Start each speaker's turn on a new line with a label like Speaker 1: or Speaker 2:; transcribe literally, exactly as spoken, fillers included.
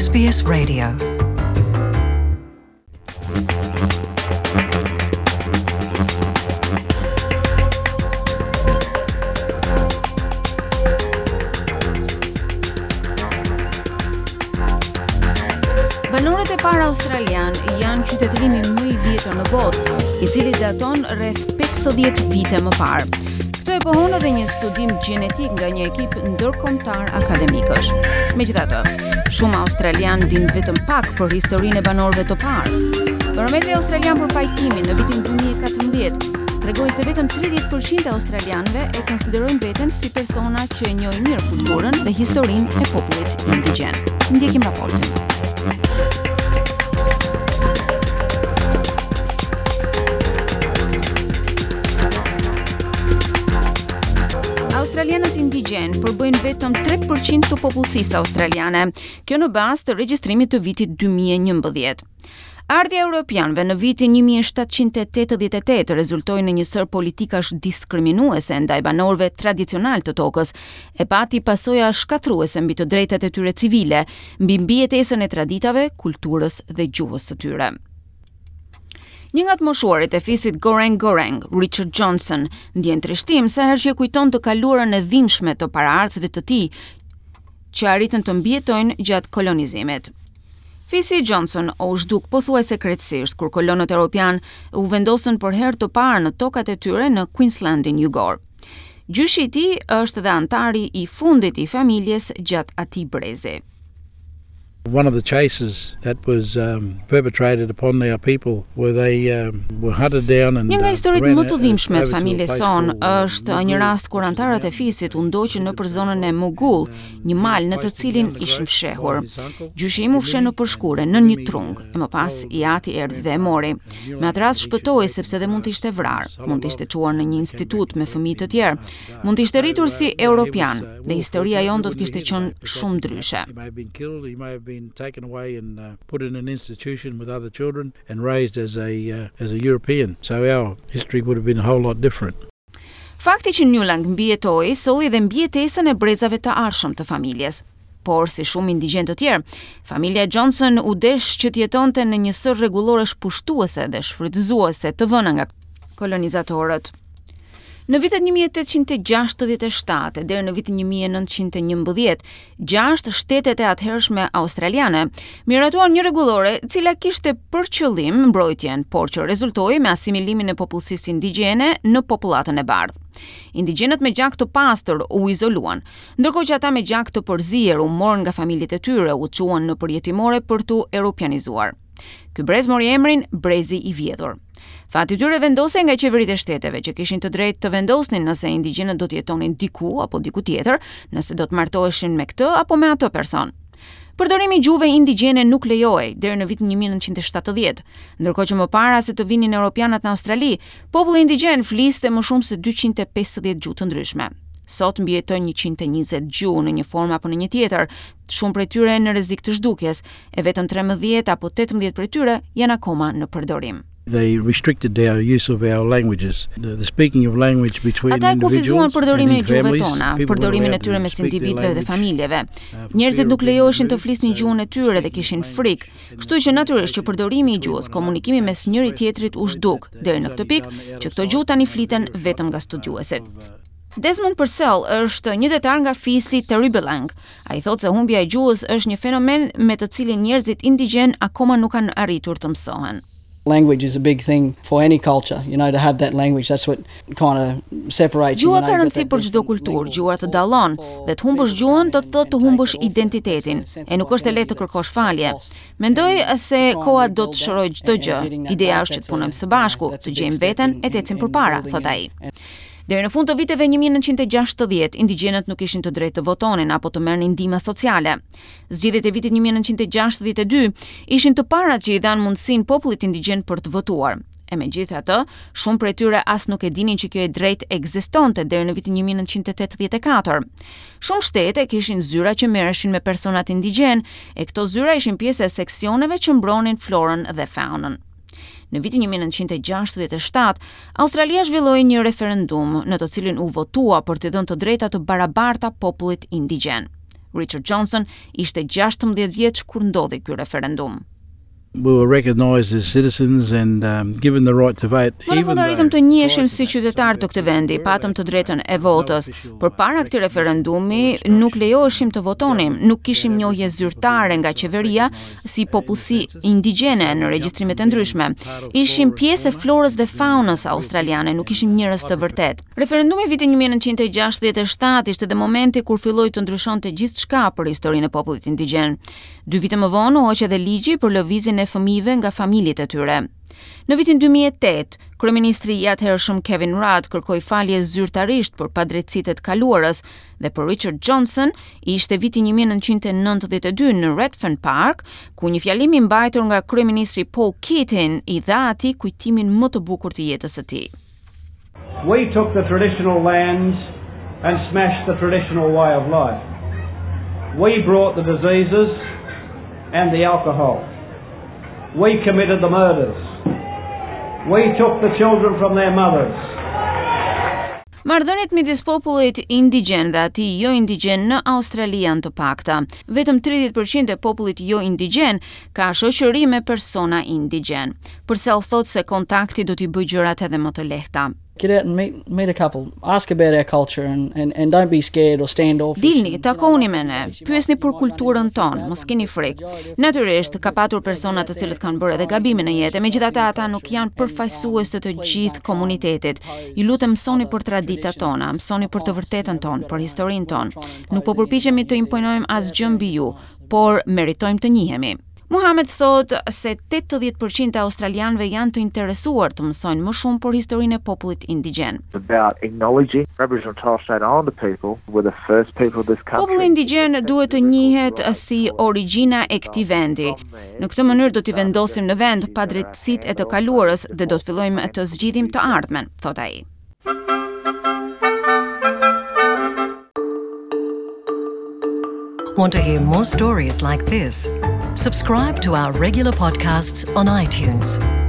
Speaker 1: S B S Radio.
Speaker 2: Banorët e parë australian janë qytetërimi më i vjetër në botë, i cili daton rreth pesëdhjetë vite më parë. Këtë e pohon edhe një studim gjenetik nga një ekip ndërkombëtar akademikësh. Megjithatë, shumë australian din vetëm pak për historinë e banorëve të parë. Barometri australian për pajtimin në vitin dy mijë e katërmbëdhjetë tregoi se vetëm tridhjetë për qind e australianëve e konsiderojnë veten si persona që e njohin mirë kulturën dhe historinë e popullit indigjen. Ndjekim raportin. Australianët indigjen përbëjnë vetëm tre për qind të popullsisë australiane, kjo në bazë të regjistrimit të vitit dy mijë e njëmbëdhjetë. Ardhja e europianëve në vitin një mijë e shtatëqind e tetëdhjetë e tetë rezultoi në një sërë politikash diskriminuese ndaj banorëve tradicional të tokës, e pati pasoja shkatërruese mbi të drejtat e tyre civile, mbi mbijetesën e traditave, kulturës dhe gjuhës së tyre. Një nga të moshuarit e fisit Goreng Goreng, Richard Johnson, ndjen trishtim sa herë që e kujton të kaluarën e dhimbshme të paraardhësve të tij që arritën të mbijetojnë gjatë kolonizimit. Fisi Johnson u zhduk pothuajse krejtësisht kur kolonët europian u vendosën për herë të parë në tokat e tyre në Queenslandin jugor. Gjyshi i tij është dhe antari i fundit i familjes gjatë atij brezi.
Speaker 3: One of the chases that was um, perpetrated upon our people where they um, were hunted down and
Speaker 2: Një nga historitë më të dhimbshme të familjes sonë është një rast kur antarët e fisit u ndoqën nëpër zonën e Mugul, një mal në të cilin ishin fshehur. Gjyshi im u fsheh nëpër shkure në një trung, e më pas i ati erdhi dhe e mori. Me atë rast shpëtoi, sepse dhe mund të ishte vrarë, mund të ishte çuar në një institut me fëmijë të tjerë, mund të ishte rritur si europian dhe historia jonë do të kishte qenë shumë ndryshe.
Speaker 3: Been taken away and uh, put in an institution with other children and raised as a uh, as a European. So our history would have been a whole lot different.
Speaker 2: Fakti që Newlang mbijetoi solli dhe mbijetesën e brezave të ardhshëm të familjes. Por si shumë indigjen të tjerë, familja Johnson u desh që të jetonte në një sërë rregulloresh pushtuese dhe shfrytëzuese të vëna nga kolonizatorët. Në vitet një mijë e tetëqind e gjashtëdhjetë e shtatë deri në vitin një mijë e nëntëqind e njëmbëdhjetë, gjashtë shtetet e atëhershme australiane miratuan një rregullore e cila kishte për qëllim mbrojtjen, por që rezultoi me asimilimin e popullsisë indigjene në popullatën e bardhë. Indigjenët me gjak të pastër u izoluan, ndërkohë që ata me gjak të përzier u morën nga familjet e tyre, u çuan në përjetimore për t'u europianizuar. Ky brez mori emrin Brezi i Vjedhur. Fati tyre vendosej nga qeveritë e shteteve që kishin të drejtë të vendosnin nëse indigjenët do të jetonin diku apo diku tjetër, nëse do të martoheshin me këtë apo me atë person. Përdorimi i gjuhëve indigjene nuk lejohej deri në vitin një mijë e nëntëqind e shtatëdhjetë, ndërkohë që më para se të vinin europianët në Australi, populli indigjen fliste më shumë se dyqind e pesëdhjetë gjuhë të ndryshme. Sot mbijetojnë njëqind e njëzet gjuhë në një formë apo në një tjetër, shumë prej tyre në rrezik të zhdukjes, e vetëm trembëdhjetë apo tetëmbëdhjetë prej tyre janë akoma në përdorim.
Speaker 3: They restricted our use of our languages. The, the speaking of language between
Speaker 2: Ata e kufizuan përdorimin e gjuhëve tona, përdorimin e tyre mes individëve dhe familjeve. Njerëzit nuk lejoheshin të flisnin gjuhën e tyre dhe kishin frikë. Kështu që natyrisht që përdorimi i gjuhës, komunikimi mes njëri tjetrit u zhduk deri në këtë pikë që këto gjuhë tani fliten vetëm nga studiuesit. Desmond Purcell është një detar nga fisi Taribelang. Ai thotë se humbja e gjuhës është një fenomen me të cilin njerëzit indigjen akoma nuk kanë arritur të mësohen.
Speaker 4: Language is a big thing for any culture, you know, to have that language, that's what kind of separates
Speaker 2: you. Gjuha ka rëndësi për çdo kulturë, gjuha të dallon dhe të humbësh gjuhën do të thotë të humbësh identitetin. E nuk është e lehtë të kërkosh falje. Mendoj se koha do të shërojë çdo gjë. Ideja është që të punojmë së bashku, të gjejmë veten e të ecim përpara, thotë ai. Deri në fund të viteve një mijë e nëntëqind e gjashtëdhjetë, indigjenët nuk kishin të drejtë të votonin apo të merrnin ndihma sociale. Zgjedhjet e vitit një mijë e nëntëqind e gjashtëdhjetë e dy ishin të parat që i dhanë mundësinë popullit indigjen për të votuar. E megjithatë, shumë prej tyre as nuk e dinin që kjo e drejtë ekzistonte deri në vitin një mijë e nëntëqind e tetëdhjetë e katër. Shumë shtete kishin zyra që merreshin me personat indigjen, e këto zyra ishin pjesë e seksioneve që mbronin florën dhe faunën. Në vitin një mijë e nëntëqind e gjashtëdhjetë e shtatë, Australia zhvilloi një referendum në të cilin u votua për të dhënë të drejta të barabarta popullit indigjen. Richard Johnson ishte gjashtëmbëdhjetë vjeç kur ndodhi ky referendum.
Speaker 3: We were recognized as citizens and um, given the right to vote.
Speaker 2: Më në fund arritëm të njiheshim si qytetarë të këtij vendi, patëm të drejtën e votës. Përpara këtij referendumi nuk lejoheshim të votonim, nuk kishim njohje zyrtare nga qeveria si popullsi indigjene në regjistrimet e ndryshme. Ishim pjesë e florës dhe faunës australiane, nuk ishim njerëz të vërtetë. Referendumi i vitit një mijë e nëntëqind e gjashtëdhjetë e shtatë ishte dhe momenti kur filloi të ndryshonte gjithçka për historinë e popullit indigjen. Dy vite më vonë u hoq edhe ligji për lëvizjen e fëmijëve nga familjet e tyre. Në vitin dy mijë e tetë, kryeministri i atëhershëm Kevin Rudd kërkoi falje zyrtarisht për padrejtësitë e të kaluarës dhe për Richard Johnson ishte viti një mijë e nëntëqind e nëntëdhjetë e dy në Redfern Park, ku një fjalim i mbajtur nga kryeministri Paul Keating i dha atij kujtimin më të bukur të jetës së tij.
Speaker 1: We took the traditional lands and smashed the traditional way of life. We brought the diseases and the alcohol. We committed the murders. We took the children from their mothers.
Speaker 2: Marrëdhëniet midis popullit indigjen dhe atij jo indigjen në Australi janë të pakta. Vetëm tridhjetë përqind e popullit jo indigjen ka shoqëri me persona indigjen. Purcell thotë se kontakti do t'i bëjë gjërat edhe më të lehta.
Speaker 4: Get out and meet, meet a couple. Ask about our culture and, and, and don't be scared or standoffish.
Speaker 2: Dilni, takoni me ne, pyesni për kulturën tonë, mos keni frikë. Natyrisht, ka patur persona të cilët kanë bërë edhe gabime në jetë, megjithatë ata nuk janë përfaqësues të të gjithë komunitetit. Ju lutem mësoni për traditat tona, mësoni për të vërtetën tonë, për historinë tonë. Nuk po përpiqemi të imponojmë asgjë mbi ju, por meritojmë të njihemi. Muhamed thotë se tetëdhjetë përqind e australianëve janë të interesuar të mësojnë më shumë për historinë e popullit indigjen.
Speaker 5: About acknowledging Aboriginal and Torres Strait Islander people were the first people of this country.
Speaker 2: Populli indigjen duhet të njihet si origjina e këtij vendi. Në këtë mënyrë do t'i vendosim në vend padrejtësitë e të kaluarës dhe do të fillojmë të zgjidhim të ardhmen, thotë ai.
Speaker 6: Want to hear more stories like this? Subscribe to our regular podcasts on iTunes.